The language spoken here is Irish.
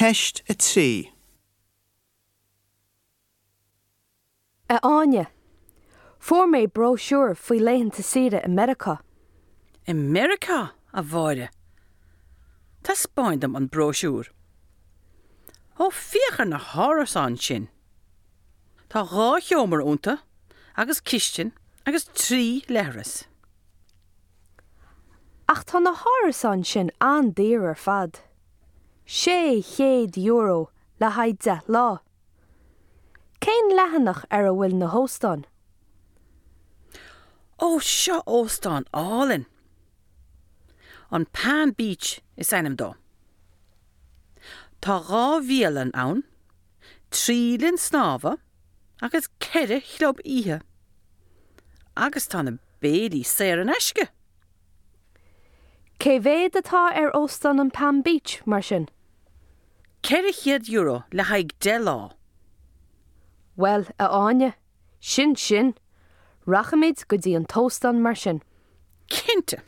Ceist 3. A Áine, fuair mé bróisiúr faoi laethanta saoire i Meiriceá. I Meiriceá, a Mháire? Taispeáin dom an bróisiúr. Ó, féach ar na hárasáin sin! Tá dhá sheomra iontu agus cistin agus trí leithreas. Ach tá na hárasáin sin an-daor ar fad. €600 le haghaidh 10 lá. Cén leathanach ar a bhfuil na hóstáin? Ó, seo óstán álainn! An Palm Beach is ainm dó. Tá dhá bhialann ann, trí linn snámha agus ceithre chlub oíche. Agus tá na béilí saor in aisce! Cé mhéad atá ar Óstán an Palm Beach, mar sin? €400 le haghaidh 10 lá. Bhuel, a Áine, sin sin! Rachaimid go dtí an t-óstán mar sin. Cinnte!